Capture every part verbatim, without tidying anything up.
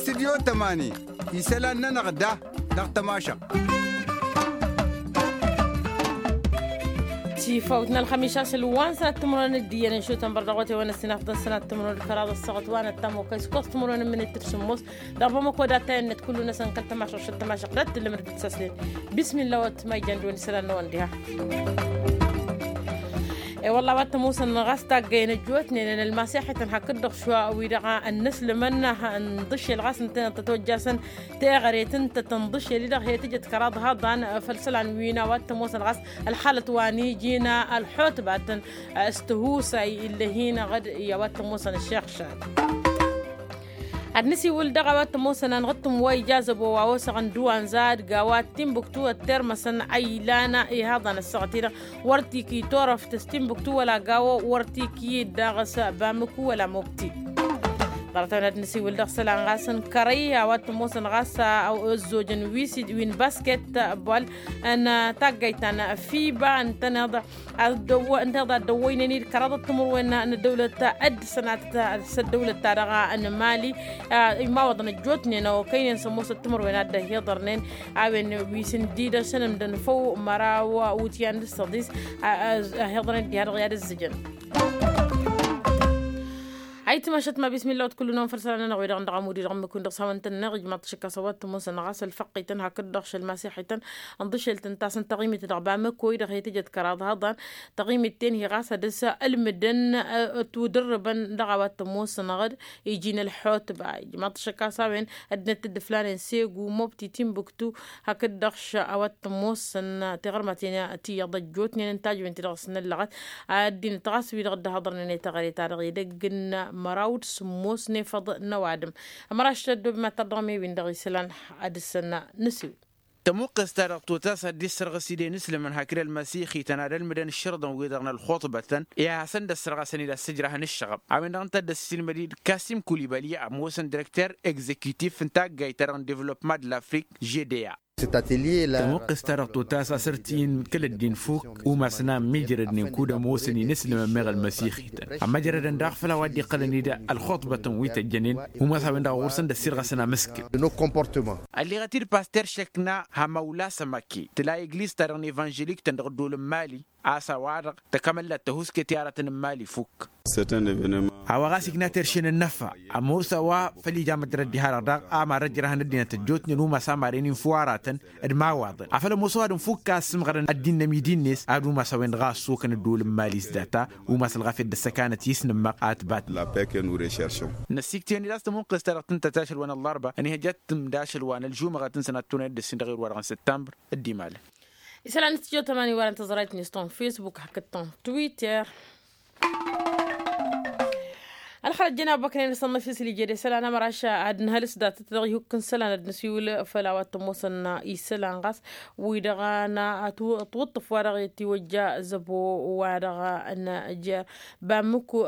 Tidyo tămani isălan-nănăɣ da dăɣ-tămašăɣt. Tifawt n-ălxămiš a-s ǝlwan sănat timǝrwen d-iyyăn n-išutăn bărdăɣ wătewăn ăssinafḍăn sănat timǝrwen d-kăraḍ ăssaɣăt wa n-ăttam okăy s-kăs timǝrwen n-imǝnit d-sǝmmos. Dăɣ-bamăko d-attăyăn-net kullu-năsăn kăl-tămašăɣt šăt tămašăɣt d-ad-tǝllǝmăd d-săslen. Bismilla wăt ma ijăn d-wăn isălan-năwăn diha. E-wălla a-wa t-ămoosăn ɣas taggăyăn ăjjootnen n-ălmasiḥităn hakd-dăɣ šwa wi-dăɣ ănnăslǝmăn n-dăšel ɣas ǝntăneḍ tăt-ojjasăn teɣăret ǝnta tănḍǝšel-i-dăɣ he-tǝjăt kăraḍ haḍan făll-isălan wi n-a-wa t-ămoosăn ɣas ălxalăt wa n-iji n-ălxutbatăn s-tihusay ill'-e-hi-năɣ d-i a-wa t-ămoosăn ăššixšad. Ad-nǝsiwǝl dăɣ-a-wa t-ămoosăn anɣǝttǝm wa ija zăbo wa osăɣăn d-uwanza d-gawa d-timbuktu ăttermăsăn a ilan ihaḍan ăssaɣăt-i-dăɣ wăr t-iki torăft s-timbuktu wăla gawo wăr t-iki-dd dăɣ-s bamǝku wăla mobti. Ḍarăt-a-wen ad-nǝsiwǝl dăɣ-isălan ɣas n-kărăy a-wa t-ămoosăn ɣas ăzzojăn wi n-basket ball n-taggayt ta n-fiba ǝntăneḍ ad-dăwwăynen-dd kăraḍăt timǝrwen n-ăddăwlăt ad-sănatăt s-ăddăwlăt-ta-dăɣ n-mali. Imawăḍăn ăjjootnen okăynen s-ămoosăt timǝrwen ad-dd-ăhiḍărnen a-wen wi s-ǝndidăšăn ǝmdăn făw măraw wǝtyan d-săḍis. Ăhiḍărnen diha-dăɣ i-ad-ǝzzǝjăn. Ayǝtmašăt ma bismilla wăt kullu-năwăn făll-isălan-nănăɣ wi-dăɣ n-dăɣ-amudi dăɣ-ǝmmǝk-win-dăɣ s-hawăn-tăn-năɣ ijmaḍ-t šăkk a-s a-wa t-ămoosăn ɣas ălfăqqităn hakd-dăɣ šăl masiḥităn ǝnḍǝšel tǝntasăn taɣimit dăɣ-bamăko-i-dăɣ i-tǝjăt kăraḍ haḍan. Taɣimit-ten hi-ɣas ad-dăr-s ǝlmǝdăn ătwǝdǝrrǝbăn dăɣ-a-wa t-ămoosăn ɣǝd iji n-ălxutba ijmaḍ-t šăkk a-s a-wen ăddinăt dd-ǝflanen segu mobti timbuktu. Hakd-dăɣ š-a-wa t-ămoosăn tiɣărmaten ti iyyăḍ ăjjootnen n-tajwen-ti-dăɣ s-năllăɣăt. Ăddinăt ɣas wi-dăɣ dd-ăhhăḍărnen i-teɣăre-ta-dăɣ edăgg n-măraw d-sǝmmos n-efăḍ n-ăwadǝm. Ămăraš tăddob ma tărdăɣ-me-win-dăɣ isălan ad-dăr-săn nǝsiwǝl. Tămuqqes-ta-dăɣ totas ad-dd-issărɣǝs ide n-islǝmăn hakd ălmăsixităn ad-ălmǝdăn ǝššărǝḍăn-wi-dăɣ n-ălxuṭbătăn i-ad-hasăn dd-ăssărɣasăn-dd ad-sǝjrahăn ǝššăɣăb a-wen-dăɣ ǝnta a dd-ăssiilmăd-dd kasim kulibali ămoosăn direkter egzekitif n-taggayt-ta-dăɣ n-devlopma d-lafrik žedeya. Tămuqqes-ta-dăɣ totas a-s ărt-in kăl-ăddin fuk umasăn a ămmiijrădnen kud-ămoosăn-in isǝlmăn meɣ ălmăsixităn ămmăjrădăn daɣ făll-a-wa dd-iqqălăn-dd ălxuṭbătăn wi tăjjănen. Umas a-wen-dăɣ ɣur-săn d-ăssirɣăsăn amǝskǝl. Ălleɣăt-dd paster šăkna hamawla sămăke tǝla egliz-ta-dăɣ n-evanželik-tăn dăɣ-ăddol n-mali a-s a-wa-dăɣ tăkămăllat tăhuske tiyaratăn n-mali fuk. A-wa ɣas ikna terše n-ănnăfa ămoos a-wa făl ija măjrăd diha-dăɣ daɣ a marăt jrăhăn ăddinăt ăjjootnen umas a maren-in făw aratăn d-imawaḍăn afăl ămoos ăwadǝm fukk a ăssǝmɣărăn ăddin n-ămidi-net ad-umas a-wen-dăɣ a ăssokăn ăddol n-mali s-data. Umas ălɣafyăt d-ăssăkanăt i-s nǝmmaɣ a ătbatnăt. Năssiktǝyăn-dd a-s tămuqqes-ta-dăɣ tǝntăt ašăl wa n-ăllarba ănihăjjat tǝmd ašăl wa n-ălžumăɣăt n-sănat tunăyăt d-ǝssin dăɣ-irwa-dăɣ n-săttambră. Dd-imalăn isălan n-tijot ămani wa n-tăẓrayt-net tăn-facebook hakd tăn-twitter. Ălxărăt jăn abăknen s-ănnăfis lijed isălan ămăraš ad-nǝhălǝs datăt dăɣ-ihukk n-isălan ad-nǝsiwǝl făll-a-wa t-ămoosăn isălan ɣas wi-dăɣ n-ătwǝṭṭǝf wa dăɣ-itiwăjja zăbo wa dăɣ-n jer bamǝku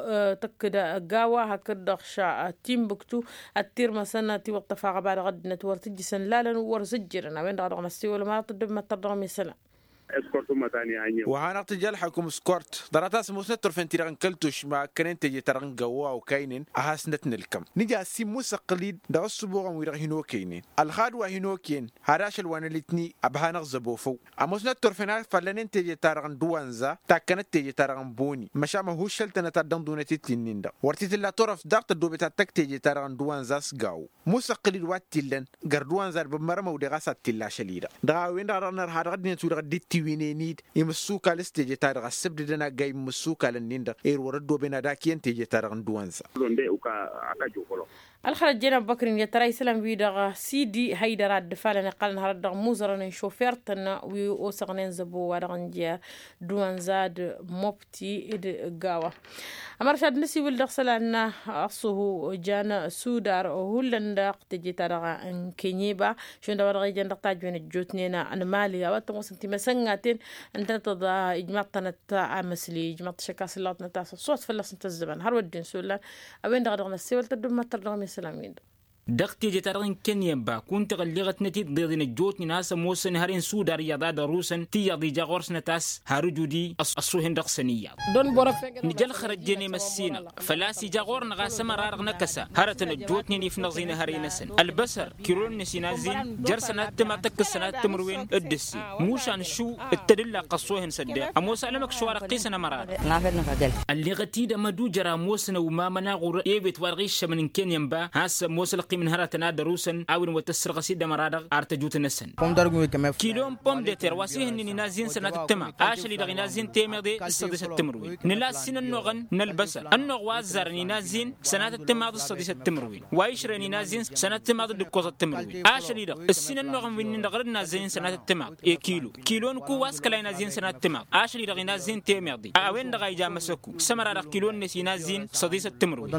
tăkk-dd gawa hakd-dăɣ ša timbuktu ăttirmăsăn tiwǝṭṭăf aɣăba dăɣ-ăddinăt wăr tǝjjǝsăn lalăn wăr zǝjjǝrăn a-wen-dăɣ a dăɣ-năssewăl ma tăddobem ad-tărdăɣ misalăn. Wa hanăɣ-tǝja ălḥăkum s-kort ḍarăt-as ămoosnăt turfen-ti-dăɣ n-kăl-tušma ǝkkănen teje-ta-dăɣ n-gawwa okaynen ad-hasnăt-nǝlkăm nǝja ăssimmǝs ăqqǝl-dd dăɣ-ǝssǝbuɣăn wi-dăɣ hin-okăynen ălxad wa hin-okăyăn had-ašăl wa n-alitni. Ăbhanăɣ zăbo făw ămoosnăt turfen a fallănen teje-ta-dăɣ n-dăwanza takkănăt teje-ta-dăɣ n-boni măšan măhuššăl-tănăt ad-dănḍunăt itti-nin-dăɣ wăr t-tǝlla turăft daɣ tăddoobet ad-tăkk teje-ta-dăɣ n-dăwanza s-gawo. Musăqqǝl-dd wa t-illăn gărd wa n-zadbăb mărămăw deɣ a-s ad-t-illa ašăl-i-dăɣ dăɣ-a-wen-dăɣ a dăɣ-nărha dăɣ-ăddinăt wi-dăɣ dd-tiwǝynen-dd imǝssukal s-teje-ta-dăɣ ăssǝbdǝdăn aggay n-imǝssukal-ǝnnin-dăɣ ere wăr-ăddooben ad-ak iyyăn teje-ta-dăɣ n-dăwanza. Ălxărăt jen ăbbăkrin i-ad-tăra isălan-wi-dăɣ sidi hăydăr a dd-ǝfalăn iqqălăn hărăt dăɣ-imuzărăn n-šofer-tăn wi osăɣnen zăbo wa dăɣ-nǝja dăwanza d-mobti d-gawa. Ămăršad n-asiwǝl dăɣ-isălan ăṣṣuhu jan sudar hullan dăɣ-teje-ta-dăɣ n-kenyeba šund a-wa dăɣ-ijăn dăɣ-tajwen ăjjootnen n-mali a-wa t-ămoosăn timăsăngaten ǝntănăt ijmaḍ-tănăt amăsli ijmaḍ-t šăkk a-s ǝllăɣăt n-ad-tasăḍ s-wăt fălla-s n-tăzzăman hărwa dd-insullan. A-wen-dăɣ a dăɣ-năssewăl tăddub mad-tărdăɣăm i-isălan-win-dăɣ. Dăɣ-teje-ta-dăɣ n-kănni ănba kunta ɣălleɣăt-năt-dd deḍen ăjjootnen a-s ămoosăn hărăn sudar iyyăḍ ad-ărusăn ti iyyăḍ ija ɣur-snăt a-s har ǝjud-i. Ăṣṣuhen dăɣ-săn iyyăḍ. Nǝja ălxărăjjen i-măssinăɣ făl-a-s ija ɣur-năɣ a-s ămăra-dăɣ n-akăsa hărătăn ăjjootnen ifnăẓ-in hărăy-năsăn ălbăsăr. Kilon-net inazzin jer-sănat timaḍt tăkk-s sănat timǝrwen d-ǝssin. Mušan šuw d-tadǝllaqq ăṣṣohăn s-ăddeɣ ămoos alămăkš wa-dăɣ ɣisăn ămăra-dăɣ. Ălleɣăt-dd amădujar a ămoosăn ăwmamăn aɣur ewet wa-dăɣ iššămăn n-kenyan ba has-s ămoos ălqim n-hărătăn ad-ărusăn a-wen wăr tăssărɣăs-dd ămăra-dăɣ ar tăjut-năsăn. Kilo n-pomdeter wa s-ihǝnnen inazzin sănatăt timaḍt ašăl-i-dăɣ inazzin temeḍe d-săḍisăt timǝrwen. Nǝla ǝssin ănnuɣăn n-ălbăsăr ănnuɣ wa ăzzarăn inazzin sănatăt timaḍt d-săḍisăt timǝrwen wa išrăyăn inazzin sănatăt timaḍt d-ǝkkoẓăt timǝrwen. Ašăl-i-dăɣ ǝssin ănnuɣăn wi-nin-dăɣ rǝd nazzănen sănatăt timaḍ i-kilo. Kilo n-ku wa s-kăla inazzin sănatăt timaḍ ašăl-i-dăɣ inazzin temeḍe a-wen-dăɣ a ija măsăku s-ămăra-dăɣ kilo-net inazzin săḍisăt timǝrwen.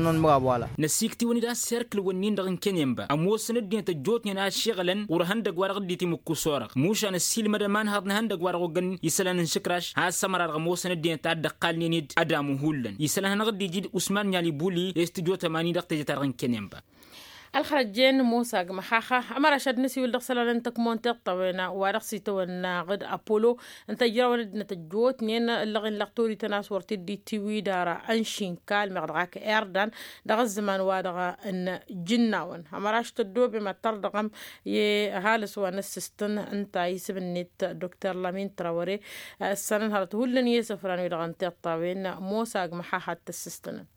Năsiktiwăn-dd a-s serkǝl-wǝnnin-dăɣ n-kenyan ba ămoosăn ăddinăt ăjjootnen a ăššiɣălăn ɣur-ehăndăgg wa-dăɣ dd-itimǝkku s-orăɣ mušan ǝssilmădăm anhăḍ n-ehăndăgg wa-dăɣ oggăn isălan n-išǝkraš has-ămăra-dăɣ ămoosăn ăddinăt a dd-ăqqalnen-dd ad-amu hullan isălan hanăɣ-dd-iji d-usman n-alibuli i-s tǝjot ămani dăɣ-teje-ta-dăɣ n-kenyan ba. Ălxărăjjen mosa agmăxaxa ămăraš ad-nǝsiwǝl dăɣ-isălan n-tăkmon tiṭṭawena wa dăɣ-s itawănna ɣǝd apollo n-tăjrawăn ăddinăt ăjjootnen ǝllăɣen lăɣ torităn a-s wăr t-dd-itiwǝy d-ara ănšinkal meɣ dăɣ-ak irdan dăɣ-ăzzăman-wa-dăɣ n-ijǝnnawăn. Ămăraš tăddoobem ad-tărdăɣăm i-ăhalǝs wa n-ǝssǝstǝn ǝnta isǝm-net dr lamin trawăre. Ǝssanăn hărăt hullan i-isăfran-wi-dăɣ n-tiṭṭawen mosa agmăxaxa ad-t-ǝssǝstǝnăn.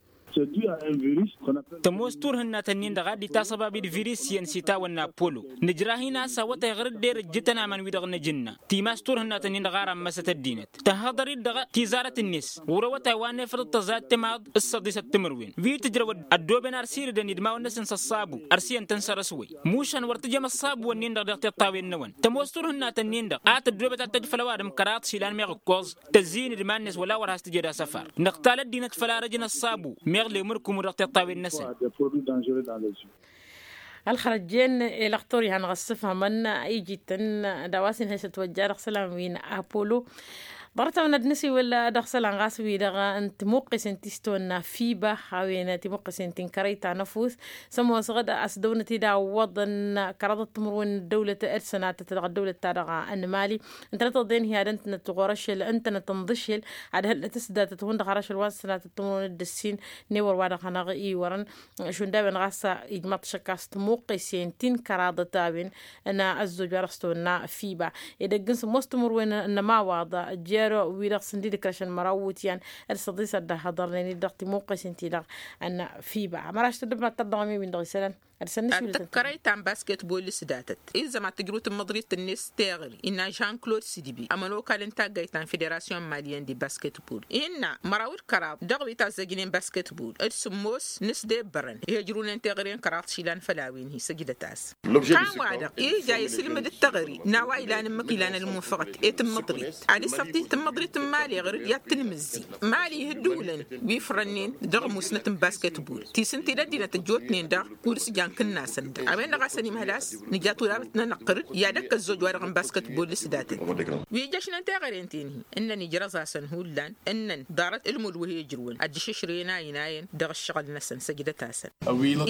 Tămoos turhǝnnat-ǝnnin-dăɣ a dd-itasăbab d-virus iyyăn s-itawănna apollo. Nǝjrah-in a-s awătay ɣur-dd erăjjǝtăn aman-wi-dăɣ n-ajǝnna timas turhǝnnat-ǝnnin-dăɣ a rammăsăt ăddinăt tăhhăḍăr-dd dăɣ-tizarăt-net. Ɣur-awătay wa n-efăḍ d-tăẓayăt timaḍ s-săḍisăt timǝrwen wi tǝjrăw ăddooben arsi irdăn idmawăn-năsăn s-ăṣṣabu ărsiyyăn-tăn săr-s wăy. Mušan wăr tǝjăm ăṣṣabu-wǝnnin-dăɣ dăɣ-tiṭṭawen-năwăn tămoos turhǝnnat-ǝnnin-dăɣ a tăddoobet ad-tăj făll-ăwadǝm kăraḍ išilan meɣ ǝkkoẓ tăzzi-in d-iman-net wăla wăr has-tǝjed asăfar. Nǝqtal ăddinăt făll-arăj n-ăṣṣabu meɣ lemǝrkǝmu dăɣ-tiṭṭawen-năsăn. Ălxărăjjen i-lăxtur i-hanăɣ-ăssǝfhămăn iji-tăn d-a-wa s-inhăy s-ătwăjja dăɣ-isălan wi n-apollo. Ḍarăt-awăn ad-nǝsiwǝl dăɣ-isălan ɣas wi-dăɣ n-timuqqesen ti s-tawănna fiba a-wen timuqqesen ti n-kărăy ta n-ăfuss. S-ămoosăɣ-dd a-s dăwnăt-dd a ǝwwăḍăn kăraḍăt timǝrwen n-ăddăwlăt d-sănatăt dăɣ-ăddăwlăt-ta-dăɣ n-mali. Ǝntănăt ăḍen hi-ad-ǝntănăt ɣur-ašăl ǝntănăt ǝnḍǝšel ad-hăllăt s-datăt hundăɣ har ašăl wa n-sănatăt timǝrwen d-ǝssin. N-ewăr wa dăɣ-hanăɣ-iwărăn šund a-wen ɣas ijmăḍ-t šăkk a-s tămuqqesen ti n-kăraḍăt a-wen n-ăzzoj wa dăɣ-s tawănna fiba. Edăgg n-sǝmmos timǝrwen n-ămawaḍ jer-wi-dăɣ sǝndi d-ikrăšăn măraw wutyan d-săḍis ad-dd-ăhhăḍărnen-dd dăɣ-timuqqesen-ti-dăɣ n-fiba. Ămăraš tăddăb ma t-tărdăɣăm i-win-dăɣ isălan. Ad-săn-nǝšwǝl tǝkkărăy ta n-basketbol s-datăt izzăm ad-tǝjrǝw tǝmmăḍrit-net s-teɣări innă jean-claude sidbi ămănokal n-taggayt ta n-federasyon maliyăn d-basketbol innă măraw d-kăraḍ dăɣ-wi tazzăjnen basketbol d-sǝmmos n-s debbărăn. Ih' ǝjrǝwnen teɣăre n-kăraḍ išilan făll-a-wen hi-săjdăt-as. Kan-wa-dăɣ ija isǝlmǝd d-teɣăre n-a-wa ilan ǝmmǝk ilan ălmunfăɣăt i-tǝmmăḍrit ad-issăḍt i-tǝmmăḍrit n-mali ɣǝr-dd i-ad-tǝnmǝzzi. Mali ihǝddǝwǝlăn wi ǝfrănnen dăɣ-musnăt n-basketbol ti s-ǝnta-i d-ăddinăt ăjjootnen daɣ kud-s jan kǝnnasăn-dăɣ a-wen-dăɣ a-s ănimhăl a-s nǝja turarăt-nănăɣ ɣǝr-dd i-ad-ăkk ăzzoj wa-dăɣ n-basketbol s-datăt. Wi ǝjjăšnen teɣăren-ten-hi ǝnnăn ijrăẓ-asăn hullan ǝnnăn ḍarăt ǝlmud wa hi-ǝjrǝwăn ad-dd-išǝšrǝyăn a inayăn dăɣ-ǝššăɣǝl-năsăn săjdăt-asăn.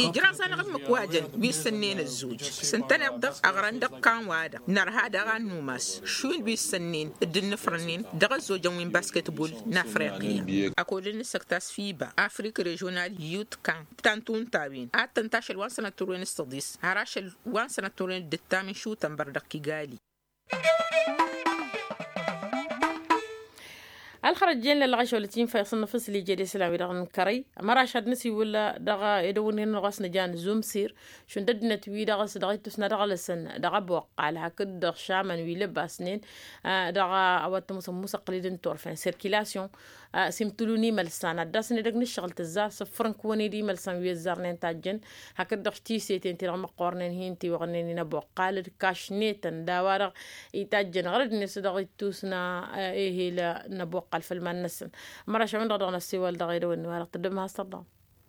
Ijraẓ-anăɣ ǝmmǝk wa jăn wi ǝssănnen ăzzoj s-ǝntăneḍ-dăɣ ăɣrăn dăɣ-ikan-wa-dăɣ nărha daɣ a n-numas šund wi ǝssănnen dd-ǝnnǝfrănnen dăɣ-ăzzojăn wi n-basketbol n-afriqya. Ăkall n-asăktas fiba afrik režional yut kan tantu n-tawen ad-tăn-tašăl wa n-sănăt turwen s-tăḍis har ašăl wa n-sănăt turwen d-ǝttam n-šutănbăr dăɣ-kigali. Ălxărăjjen lălɣăš wăla tinfa iṣănnăf s-lije d-isălan wi-dăɣ n-kărăy. Măraš ad-nǝsiwǝl dăɣ-edăwănnin ɣas nǝjan zumsir šund ăddinăt-wi-dăɣ s-dăɣ-ittusna dăɣ-lăsăn dăɣ-abuqqal hakd-dăɣ šamăn wi lăbasnen dăɣ-a-wa t-ămoosăn musăqqǝlid n-turfen sirkilasyon. S-imtǝlun imălsan ad-dd-asăn edăgg n-ǝššăɣǝl tǝzzar s-ǝffrǝnkǝwăn-dd imălsan wi ăzzarnen tajjăn. Hakd-dăɣ tiseten-ti-dăɣ măqqornen hin-tiwăɣnen i-năbuqqal d-kašnetăn d-a-wa-dăɣ itajjăn ɣărăd-net dăɣ-ittusna ehel n-ăbuqqal făll-iman-năsăn. Măraš a-wen-dăɣ dăɣ-năssiwăl dăɣ-edăwănni-wa-dăɣ tăddăb ma has-tărdăɣăm.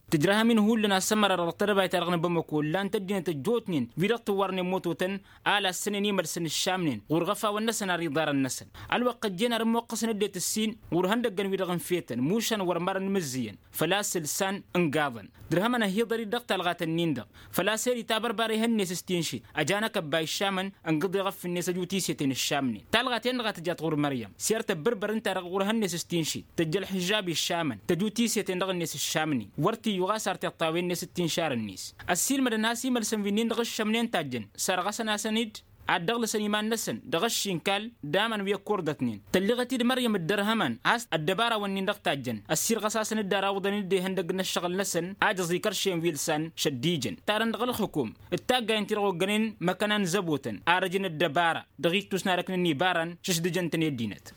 Tǝjrăhăm-in hullan a-s ămăra dăɣ-tedăbayt-ta-dăɣ n-bamăko ǝllan-t ăddinăt ăjjootnen wi-dăɣ tǝwwarnen mototăn a-la ăssănen imălsăn ǝššamnen ɣur-iɣăfawăn-năsăn ar iḍarăn-năsăn. Ălwăqq ăjjeen ar ǝmmuqqăsăn ăddinăt ǝssin ɣur-ihăndăggăn-wi-dăɣ n-fetăn mušan wăr mărăn imǝzzǝyăn făl-a-s ǝlsan ǝngaḍăn. Dăr-hămăn ăhiḍăr-dd dăɣ-talɣat-ǝnnin-dăɣ făl-a-s eri tabărbara ihănnes s-tinšit ăjanăkăb a iššamăn ǝngǝḍ iɣăff-net ăju tiseten ǝššamnen. Talɣa-ten-dăɣ a tǝjat ɣur-măryăm s-err tăbbărbăr ǝnta-dăɣ ɣur-ihănnes s-tinšit tăjj ălḥǝžžab iššamăn tăju tiseten dăɣ-net ǝššamnen wăr t-iyyuɣ a-s ar tiṭṭawen-net d-tinšar-net. Ăssiilmădăn a-s imălsăn wi-nin-dăɣ ǝššămnen tajjăn sărɣăsăn-asăn-dd ad-dăɣ-lăsăn iman-năsăn dăɣ-ăššinkal d-aman wi ăkkurdătnen. Tălliɣăt-dd măryăm ǝddărhămăn a-s ăddăbarawăn-nin-dăɣ tajjăn ăssirɣăs-asăn-dd ar awǝḍăn-dd ihăndăgg n-ăššăɣǝl-năsăn a jăẓ ikăršen wi ǝlsan šăddijăn. Tarăn dăɣ-ălxǝkum d-taggayăn-ti-dăɣ oggănen măkăna n-zăbotăn ar ăjǝn ăddăbara dăɣ-ittus n-arăknăn ibarăn šǝšdǝjăn-tăn i-ăddinăt.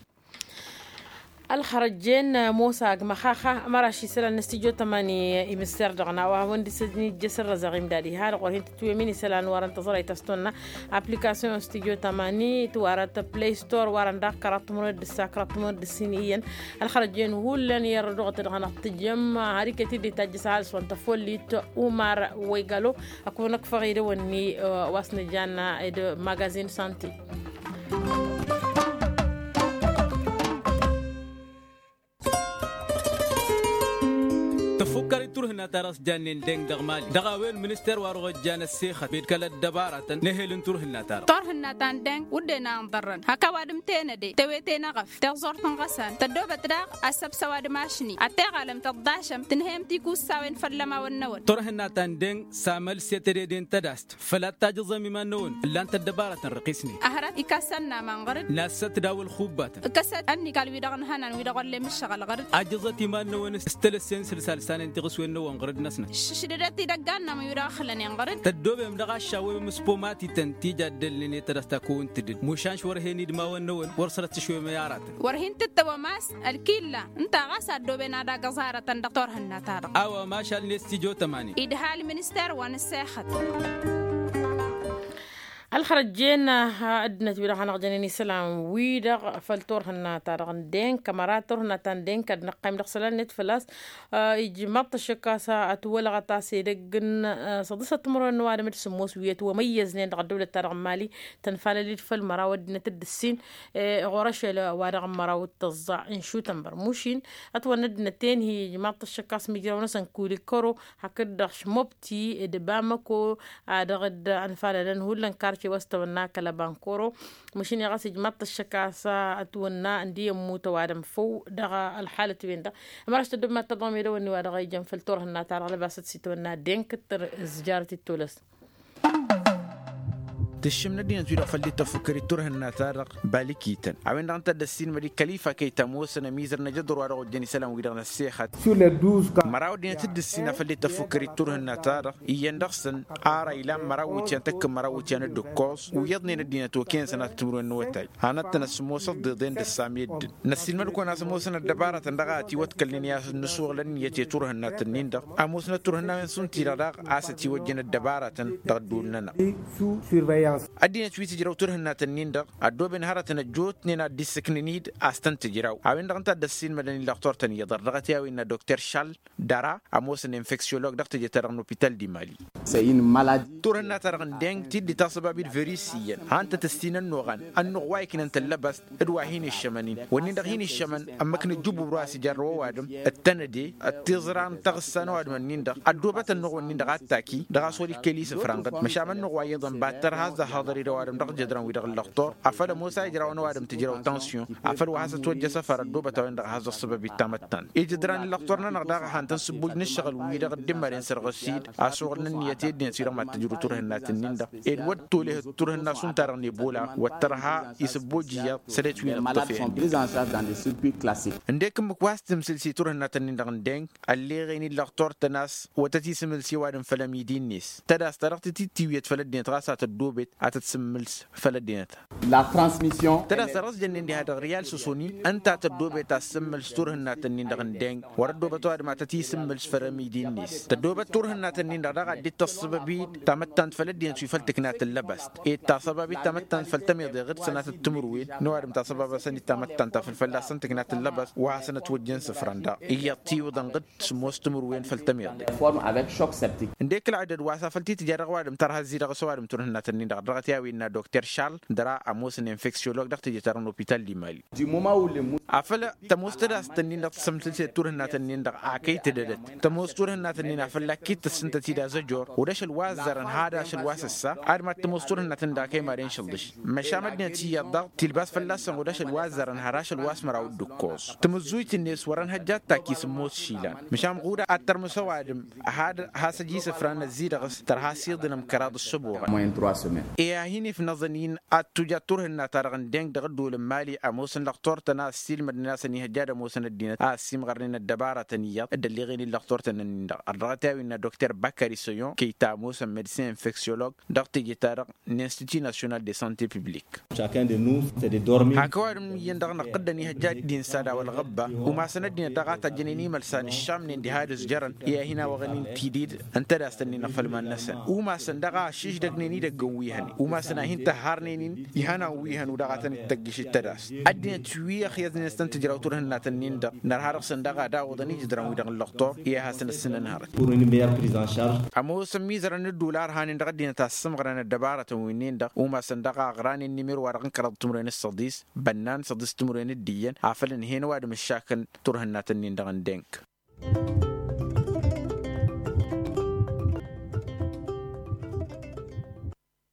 Ălxărăjjen mosa agmăxaxa ămăraš isălan n-studyo tămani. Imǝsser dăɣ-nawa wăndǝsăn ijjăsăn răzăɣ imdad iha dăɣ-wăr hin-tǝtwǝyăm-in isălan wărăn tăẓrăyt a-s tonna application studyo tămani tǝwarăt play store wărăn daɣ kăraḍ timǝrwen d-ǝssa kăraḍ timǝrwen d-ǝssin iyyăn. Ălxărăjjen hullan i-ărrăduɣăt dăɣ-năɣ tǝjjăm har iket-dd itajjăs ăhalǝs wa n-tăfollit umar wăygalo. Ăkun ăkfăɣ idăwănni wa s-nǝjanna d-magazin santi. Tăfukkăr i-turhǝnna-ta-dăɣ s-jannen deng dăɣ-mali dăɣ-a-wen minister wa dăɣ-ojjan ăssexăt bed kăl-ăddăbaratăn n-ehel n-turhǝnna-ta-dăɣ. Turhǝnna ta n-deng wădden a ǝnḍărrăn hak ăwadǝm tenăde tewete n-eɣăf teẓẓurt n-iɣăsan tăddoobăt daɣ ăssăbs ăwadǝm ašni ad-teɣalăm tăḍḍašăm tǝnhăyăm tikussawen făll-ămawăn-năwăn. Turhǝnna ta n-deng s-amăl s-e tedede n-tădast făl ad-tajǝẓăm iman-năwăn ǝllan-t ăddăbaratăn răqisnen. Ăhrăt ikasăn n-aman ɣăr-dd nassăt daw-ălxubbatăn ǝkkăsăt ănnikal-wi-dăɣ ǝnhănan wi-dăɣ wăllen ǝššăɣǝl ɣăr-dd. Ajǝẓăt iman-năwăn s-tălăssen sǝlsal s-anen tiɣǝswen-năwăn ɣăr-dd-năsnăt. Ššǝšdădăt idăggan-nămăn wi-dăɣ ăxlănen ɣăr-dd. Tăddoobem dăɣ-aššawem s-pomatităn ti jaddălnen i-tădăsta kăwăn-tǝdǝd mušan š-wăr hen-idmawen-năwăn wăr sărăt tǝšwem i-aratăn. Wăr hin-tǝttăwăm a-s ălkilla ǝnta ɣas a ăddooben ad-agǝẓ aratăn dăɣ-turhǝnna-ta-dăɣ. A-wa mašal n-estidyo tămani idha ălminister wa n-ǝssexăt. Ălxărăjjen ăddinăt-wi-dăɣ hanăɣ-jănen isălan-wi-dăɣ făll-turhǝnna-ta-dăɣ n-denk ămăra turhǝnna ta n-denk ad-năqqayǝm dăɣ-isălan-net făl-a-s ijmaḍ-t ăššăk a-s ătwălăɣăt a-s edăgg n-săḍǝsăt timǝrwen n-ăwadǝm d-sǝmmos wi ătwămăyyăznen dăɣ-ăddăwlăt-ta-dăɣ n-mali tănfalăl-dd făll-măraw ăddinăt d-ǝssin ɣur-ašăl wa dăɣ-n măraw d-tăẓẓa n-šutănbăr mušin. Ătwănna ăddinăt-en-hi ijmaḍ-t ăššăk a-s mijraw-năsăn kulikăro hakd-dăɣ šmobti d-bamăko a dăɣ-dd-ănfalălăn hullan karce wa s-tăwănna kăl-ăbankoro. Măšin i-ɣas ijmaḍ-t ăššăk a-s ătwănna ǝndi ămmut ăwadǝm făw dăɣ-ălxalăt-wen-dăɣ. Ămăraš tăddobmat tăḍɣăm edăwănni wa dăɣ-ijăn făll-turhǝnna-ta-dăɣ lăbasăt s-itwănna denkǝttăr ǝzjarăt ittolăs. Tǝššǝm n-ăddinăt-wi-dăɣ făll-dd-tăfukkăr i-turhǝnna-ta-dăɣ balikităn a-wen-dăɣ ǝnta a dd-ăssiinmăd i-kălifa kăy-tămoosăn ămizăr n-ajăḍur wa dăɣ-ojjăn isălan-wi-dăɣ n-ăssexăt. Măraw ăddinăt dd-ǝssin a făl dd-tăfukkăr i-turhǝnna-ta-dăɣ iyyăn dăɣ-săn ara ilan măraw iwǝtyan tăkk n-măraw iwǝtyan d-ǝkkoẓ u-iyyăḍnen ăddinăt okăyăn sănatăt timǝrwen n-awătay. Hanăt-tăn ăsmosăt d-iḍen d-ăssamiyăd-dăn năssiilmăd-kăwăn a-s ămoosăn ăddăbarătăn dăɣ-a ătiwăḍkălnen i-ad-nǝsuɣǝlăn iyyăt i-turhǝnna-tăn-in-dăɣ ămoosnăt turhǝnnawen šund-ti-dăɣ daɣ a-s ătiwăjjăn ăddăbarătăn dăɣ-ădduul-nănăɣ. Ăddinăt wi tǝjrăw turhǝnna-tăn-in-dăɣ ăddooben hărătăn ăjjootnen ad-dd-issǝknăn-dd a-s tăn-tǝjraw a-wen-dăɣ ǝnta a dd-ăssiilmădăn illăɣ turtăn iyyăḍ ărdăɣăt i-a-wen n-a dokter šal dăra ămoosăn infeksiyolog dăɣ-teje-ta-dăɣ n-opital di mali. Turhǝnna-ta-dăɣ n-deng tiddi taẓăbab-dd virus iyyăn han-tăt-ǝssin ănnuɣan ănnuɣ wa iknăn tăllăbăst d-wa hin-iššămăn-in wănnin-dăɣ hin-iššămăn ămmăk n-ǝjjǝbub dăr-wa s-ijarrăw ăwadǝm d-tănăde d-tiẓra n-taɣǝssa n-ăwadǝm-ǝnnin-dăɣ ăddoobăt ănnuɣ-wǝnnin-dăɣ a t-taki dăɣ-a-s wăr-ikkăl isǝfra n-ɣǝd măšan ănnuɣ wa iyyăḍăn battăr has-ăhhăḍăr i-dăɣ ăwadǝm dăɣ-jădran-wi-dăɣ ǝllăɣtor afăl ămoos a ijraw ănăwadǝm tǝjraw tansiyon afăl wa has-ătwăjjăš afăr ăddoobăt a-wen-dăɣ a has-ăṣṣăbăb i-tamăttant ijădran ǝllăɣtor-nănăɣ daɣ a han-tăn-sǝbbuj n-ǝššăɣǝl-wi-dăɣ dd-imăren sărɣǝs-dd a-s uɣǝlăn ǝnniyăt i-ăddinăt-wi-dăɣ mad-tǝjrǝw turhǝnna-tăn-in-dăɣ ed wăr t-olăhăt turhǝnna šund-ta-dăɣ n-ebola wăr tărha isǝbbuj iyyăḍ sălet wi n-ǝṭṭǝf. Ǝndek ǝmmǝk wa s-tǝmsǝl s-i turhǝnna-tăn-in-dăɣ n-deng ălleɣen illăɣtor-tăn a-s wăr tăt-isǝmǝl s-i ăwadǝm făll-ămidi-net tădast ta dăɣ-titittiwǝyăt făll-ăddinăt ɣas a tăddoobet a tăt-sǝmmǝls făll-ăddinăt. La transmission. Tădasăr ăsjănnen diha dăɣ-riyal săsonin ǝnta tăddoobet a tǝssǝmmǝls turhǝnnatăn-in-dăɣ n-deng wăr-ăddoobăt ăwadǝm a tăt-isǝmmǝls fărămidi-net tăddoobăt turhǝnnatăn-in-dăɣ daɣ a dd-tăssăbăbid tamăttant făll-ăddinăt wi făll-tǝknat n-lăbast ed tasăbabit tamăttant făll-tămiḍe ɣǝd sănatăt timǝrwen n-ăwadǝm tasăbabăsăn-dd tamăttant ta făll-fălla-săn tǝknat n-lăbast wa hasăn-ătwăjjăn isǝfran daɣ iyyăḍ tiwǝḍăn ɣǝd sǝmmos timǝrwen făll-tămiḍe. Forme avec choc septique. Ǝndek ălɣădăd wa s-afăl t-tǝja dăɣ-ăwadǝm tărha ăzzidăɣ s-ăwadǝm turhǝnnatăn-in-dăɣ dăɣ-t i-a-wen n-ad-dokter šarl dăr-a ămoosăn infeksiolog dăɣ-teje-ta-dăɣ n-opital n-imali. Afăl tămoos tădast-ǝnnin-dăɣ tǝsǝmtǝlset turhǝnnatăn-nin-dăɣ a kăy-tǝdădăt tămoos turhǝnnatăn-nin afăl akit tǝssǝntăt-dd azăjor. Wăr-dăɣ ašăl wa ăzzărăn had ašăl wa s-ăssa ad-mad-tămoos turhǝnnatăn-dd a kăy-maden šălḍǝš. Măšan ăddinăt iyyăḍ dăɣ-tilbas fălla-săn wăr-dăɣ ašăl wa ăzzărăn had ašăl wa s-măraw d-ǝkkoẓ. Tǝmǝzzuyt-net wăr-ănhăjja ad-takki s-ămoos išilan măšan ɣud ad-tărmǝs ăwadǝm had has-ăj isǝfran ăzzidăɣ s-tărha s-iḍǝnăm kăraḍ ǝssăboɣăn. I-ad-hin-ifnăẓăn-in ad-tuja turhǝnna-ta-dăɣ n-deng dăɣ-ăddol n-imali ămoosăn lăxtor-tăn a ăssiilmădnen a-s ănihăjja ad-ămoosăn ăddinăt a ăssiimɣărnen ăddăbarătăn iyyăḍ dd-ălleɣen-in lăxtor-tăn-ǝnnin-dăɣ ărdăɣăt i-a-wen n-ad-dokter bakari săyon kăy-ta ămoosăn medsin infeksiolog dăɣ-teje-ta-dăɣ n-institut national de sante publik. Hak ăwadǝm iyyăn dăɣ-năqqǝddăn ihăjja ad-dd-insa d-a-wa ălɣăbba umasăn ăddinăt daɣ a tăjjănen imălsan ǝššamnen diha ad-ǝzjărăn i-ad-hin-awăɣăn-in tidǝd n-tădast-ǝnnin ɣǝfăl iman-năsăn umasăn daɣ a ăššiždăgnen idăgg n-wi hănen umasăn a hin-tăhharnen-in ihănan wi hăn u-dăɣ a tăn-dd-tăggiš d-tădast. Ăddinăt wi ăxyăẓnen s-tăn-tǝjraw turhǝnnatăn-nin-dăɣ nărha dăɣ-săn daɣ ad-awǝḍăn ijǝdran-wi-dăɣ n-lăxtor i-ad-hasăn-dd sǝnăn hărăt. Ămoos ămmizărăn n-ǝddul a ărhanen dăɣ-ăddinăt a ăssǝmɣărăn ăddăbarătăn wi-nin-dăɣ umasăn daɣ a ăɣranen n-imir-wa-dăɣ n-kăraḍ timǝrwen s-săḍis bănnan săḍis timǝrwen d-iyyăn afăl ǝnhăyăn ăwadǝm ǝššakăn turhǝnnatăn-nin-dăɣ n-deng.